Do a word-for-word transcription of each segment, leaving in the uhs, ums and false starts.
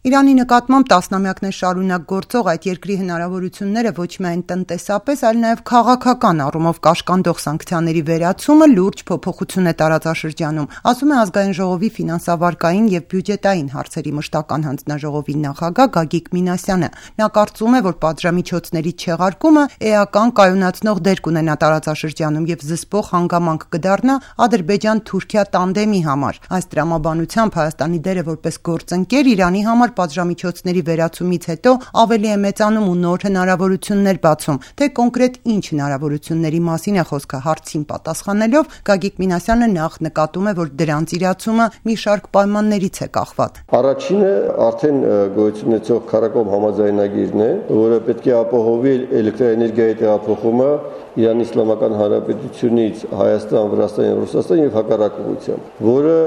Իրանի նկատմամբ տասնամյակներ շարունակ գործող այդ երկրի հնարավորությունները ոչ միայն տնտեսապես, այլ նաև քաղաքական առումով կաշկանդող սանկցիաների վերացումը լուրջ փոփոխություն է տարածաշրջանում, ասում է Ազգային ժողովի ֆինանսավարկային և բյուջետային հարցերի մշտական հանձնաժողովի նախագահ Գագիկ Մինասյանը։ Նա կարծում է, որ պատժամիջոցների չեղարկումը էական կայունացնող դեր կունենա տարածաշրջանում և զսպող հանգամանք կդառնա Ադրբեջան-Թուրքիա տանդեմի համար։ Այս տրամաբանությամբ Հայաստանի դերը որպես գործընկեր Իրանի համար պատժամիջոցների վերացումից հետո ավելի է մեծանում ու նոր հնարավորություններ բացում, թե կոնկրետ ինչ հնարավորությունների մասին է խոսքը հարցին պատասխանելով Գագիկ Մինասյանը նախ նկատում է, որ դրանց իրացումը մի շարք պայմաններից է կախված։ Առաջինը արդեն գոյություն ունեցող քարակոմ համաձայնագիրն է, որը պետք է ապահովի էլեկտրաէներգիայի տեղափոխումը Իրանի Իսլամական Հանրապետությունից Հայաստան, Վրաստան և Ռուսաստան և հակառակ ուղղությամբ, որը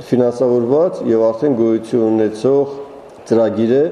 ֆինանսավորված եւ արդեն գոյություն ունեցող ծրագիր է։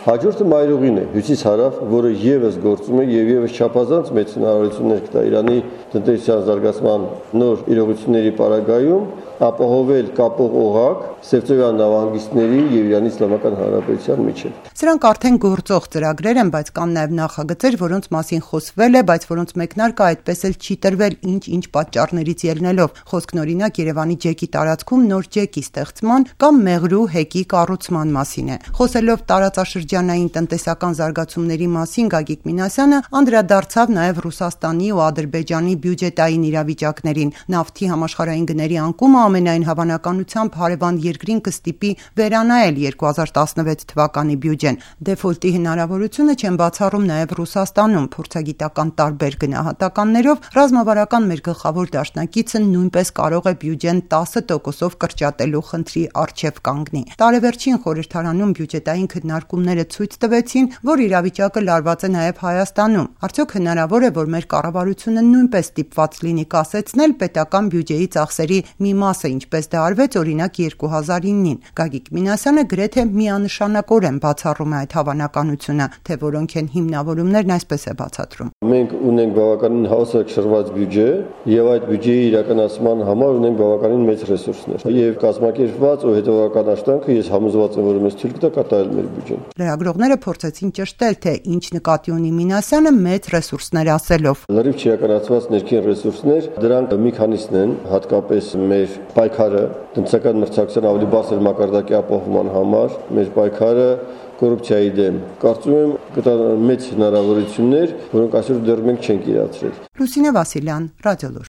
Հաջորդը մայրուղին է, հյուսիս-հարավ, որը եւս գործում է եւ եւս չափազանց մեծ հնարավորություններ կտա Իրանի տնտեսության զարգացման նոր իրողությունների պարագայում ապահովել կապող օղակ Սևծովյան նավահանգիստների եւ Իրանի Իսլամական Հանրապետության միջեւ։ Սրանք արդեն գործող ծրագրեր են, բայց կան նաեւ նախագծեր, որոնց մասին խոսվել է, բայց որոնց մեկնարկը այդպես էլ չի տրվել ինչ-ինչ պատճառներից ելնելով։ Խոսքն օրինակ Երևանի ջեկի տարածքում նոր ջեկի ստեղծման կամ Մեղրու հեկի կառուցման մասին է։ Խոսելով տարածաշրջանային տնտեսական զարգացումների մասին Գագիկ Մինասյանը անդրադարձավ նաեւ Ռուսաստանի ու Ադրբեջանի բյուջետային իրավիճակներին։ Նավթի համաշխարհային գների անկումը ամենայն հավանականությամբ հարևան երկրին կստիպի վերանայել երկու հազար տասնվեց թվականի բյուջեն։ Դեֆոլտի հնարավորությունը չեն բացառում նաև Ռուսաստանում։ Փորձագիտական տարբեր գնահատականներով ռազմավարական մեր գլխավոր դաշնակիցը նույնպես կարող է բյուջեն տասը տոկոսով կրճատելու խնդրի առջև կանգնի։ Տարեվերջին խորհրդարանում բյուջետային քննարկումները ցույց տվեցին, որ իրավիճակը լարված է նաև Հայաստանում։ Արդյոք հնարավոր է, որ մեր կառավարությունը նույնպես ստիպված լինի կասեցնել պետական բյուջեի ծախսերի մի մասը, ինչպես դա արվեց օրինակ երկու հազար իննին։ Գագիկ Մինասյանը գրեթե միանշանակորեն բացառում է այդ հավանականությունը, թե որոնք են հիմնավորումներն, այսպես է բացատրում։ Մենք ունենք բավականին հավասարակշռված բյուջե եւ այդ բյուջեի իրականացման համար ունենք բավականին մեծ ռեսուրսներ եւ կազմակերպված ու հետևողական աշխատանքը ես համոզված եմ, որ մեզ թույլ կտա կատարել մեր բյուջեն։ Լրագրողները փորձեցին ճշտել, թե ինչ նկատի ունի Մինասյանը մեծ ռեսուրսներ ասելով։ Լրիվ չիրականացված ներքին ռեսուրսներ, դրանք մի քանիսն են, հատկապես մեր պայքարը տնտեսական մրցակցության ավելի բարձր մակարդակի ապահովման համար, մեր պայքարը կոռուպցիայի դեմ։ Կարծում եմ կտա մեծ հնարավորություններ, որոնք այսօր դեռ մենք չենք իրացրել։ Լուսինե Վասիլյան, Ռադիոլուր։